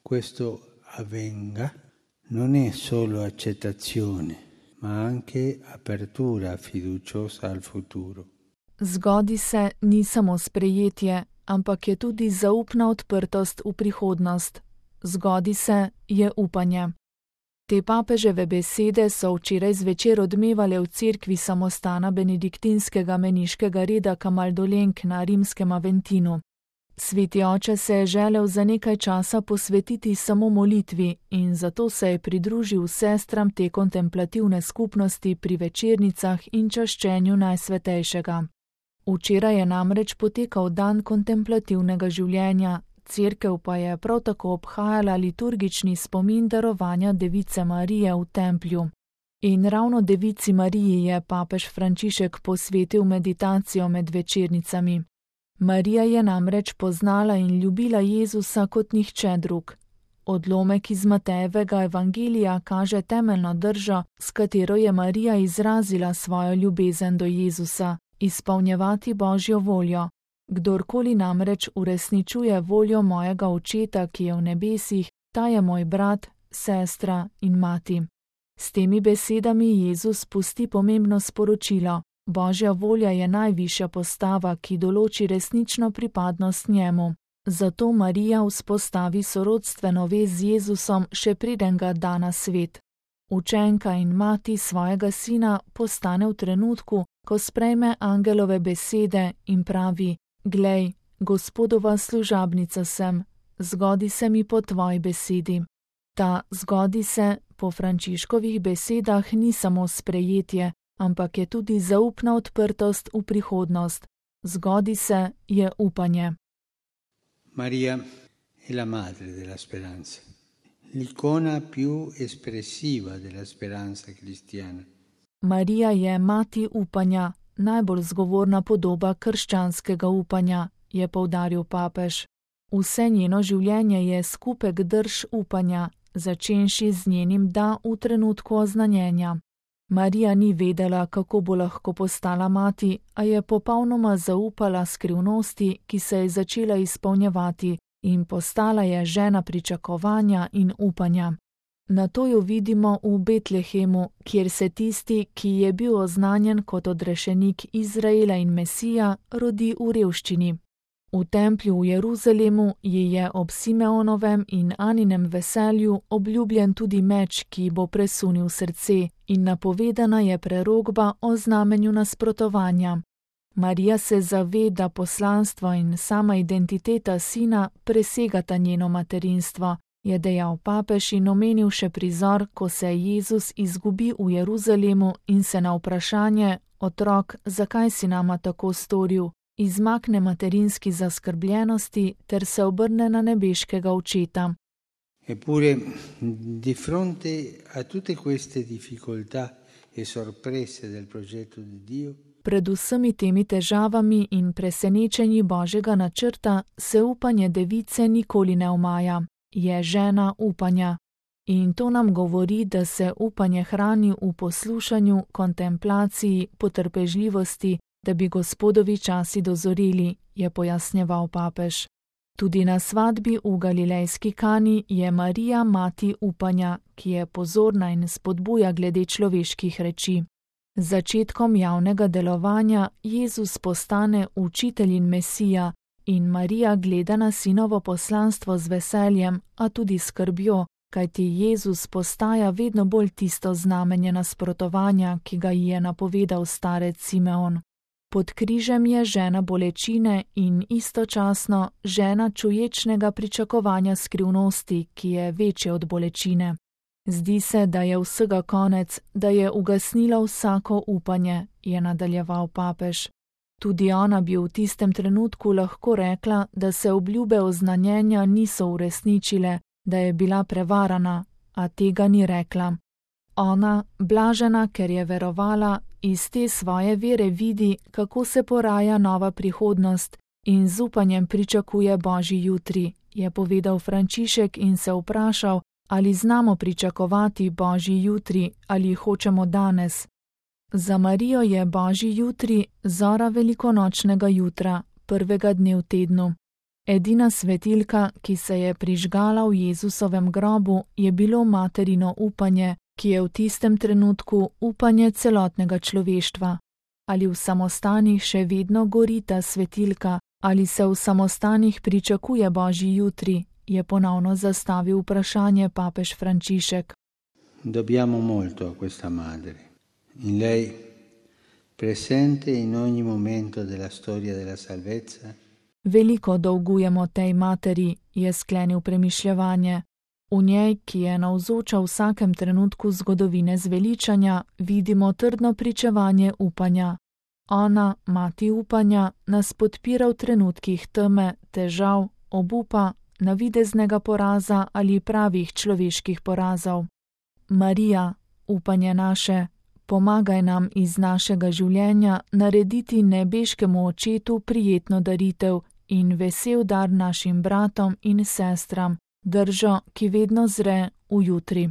questo avvenga non è solo accettazione, ma anche apertura fiduciosa al futuro. Zgodi se ni samo sprejetje, ampak je tudi zaupna odprtost v prihodnost. Zgodi se je upanje. Te papeževe besede so včeraj zvečer odmevale v cerkvi samostana benediktinskega meniškega reda Kamaldolenk na rimskem Aventinu. Sveti oče se je želel za nekaj časa posvetiti samo molitvi in zato se je pridružil sestram te kontemplativne skupnosti pri večernicah in čaščenju Najsvetejšega. Včeraj je namreč potekal dan kontemplativnega življenja, cerkev pa je prav tako obhajala liturgični spomin darovanja Device Marije v templju. In ravno Devici Mariji je papež Frančišek posvetil meditacijo med večernicami. Marija je namreč poznala in ljubila Jezusa kot nihče drug. Odlomek iz Matejevega evangelija kaže temeljno držo, s katero je Marija izrazila svojo ljubezen do Jezusa, izpolnjevati Božjo voljo. Kdorkoli namreč uresničuje voljo mojega Očeta, ki je v nebesih, ta je moj brat, sestra in mati. S temi besedami Jezus pusti pomembno sporočilo. Božja volja je najvišja postava, ki določi resnično pripadnost njemu. Zato Marija vzpostavi sorodstveno vez z Jezusom, še preden ga da na svet. Učenka in mati svojega sina postane v trenutku, ko sprejme angelove besede in pravi: Glej, Gospodova služabnica sem, zgodi se mi po tvoji besedi. Ta zgodi se po Frančiškovih besedah ni samo sprejetje, ampak je tudi zaupna odprtost v prihodnost. Zgodi se je upanje. Maria è la madre della speranza, l'icona più espressiva della speranza cristiana. Marija je mati upanja, najbolj zgovorna podoba krščanskega upanja, je poudaril papež. Vse njeno življenje je skupek drž upanja, začenši z njenim da v trenutku oznanjenja. Marija ni vedela, kako bo lahko postala mati, a je popolnoma zaupala skrivnosti, ki se je začela izpolnjevati, in postala je žena pričakovanja in upanja. Nato jo vidimo v Betlehemu, kjer se tisti, ki je bil oznanjen kot odrešenik Izraela in Mesija, rodi v revščini. V templju v Jeruzalemu ji je ob Simeonovem in Aninem veselju obljubljen tudi meč, ki bo presunil srce, in napovedana je prerokba o znamenju nasprotovanja. Marija se zave, da poslanstvo in sama identiteta sina presegata njeno materinstvo, je dejal papež in omenil še prizor, ko se Jezus izgubi v Jeruzalemu in se na vprašanje: Otrok, zakaj si nama tako storil?, izmakne materinski zaskrbljenosti ter se obrne na nebeškega Očeta. Eppure, di fronte a tutte queste difficoltà e sorprese del progetto di Dio, pred vsemi temi težavami in presenečenji Božjega načrta se upanje device nikoli ne omaja. Je žena upanja. In to nam govori, da se upanje hrani v poslušanju, kontemplaciji, potrpežljivosti, da bi Gospodovi časi dozoreli, je pojasnjeval papež. Tudi na svadbi v galilejski Kani je Marija mati upanja, ki je pozorna in spodbuja glede človeških reči. Z začetkom javnega delovanja Jezus postane učitelj in Mesija in Marija gleda na sinovo poslanstvo z veseljem, a tudi skrbjo, kajti Jezus postaja vedno bolj tisto znamenje nasprotovanja, ki ga ji je napovedal starec Simeon. Pod križem je žena bolečine in istočasno žena čuječnega pričakovanja skrivnosti, ki je večje od bolečine. Zdi se, da je vsega konec, da je ugasnila vsako upanje, je nadaljeval papež. Tudi ona bi v tistem trenutku lahko rekla, da se obljube oznanjenja niso uresničile, da je bila prevarana, a tega ni rekla. Ona, blažena, ker je verovala, iz te svoje vere vidi, kako se poraja nova prihodnost in z upanjem pričakuje Božji jutri, je povedal Frančišek in se vprašal, ali znamo pričakovati Božji jutri ali hočemo danes. Za Marijo je Božji jutri zora velikonočnega jutra, prvega dne v tednu. Edina svetilka, ki se je prižgala v Jezusovem grobu, je bilo materino upanje, ki je v tistem trenutku upanje celotnega človeštva. Ali v samostanih še vedno gori ta svetilka, ali se v samostanih pričakuje Božji jutri, je ponovno zastavil vprašanje papež Frančišek. Dobbiamo molto a questa madre. In lei, presente in ogni momento della storia della salvezza. Veliko dolgujemo tej materi, je sklenil premišljevanje. V njej, ki je navzoča v vsakem trenutku zgodovine zveličanja, vidimo trdno pričevanje upanja. Ona, mati upanja, nas podpira v trenutkih teme, težav, obupa, navideznega poraza ali pravih človeških porazov. Marija, upanje naše, pomagaj nam iz našega življenja narediti nebeškemu očetu prijetno daritev in vesel dar našim bratom in sestram, držo, ki vedno zre v jutri.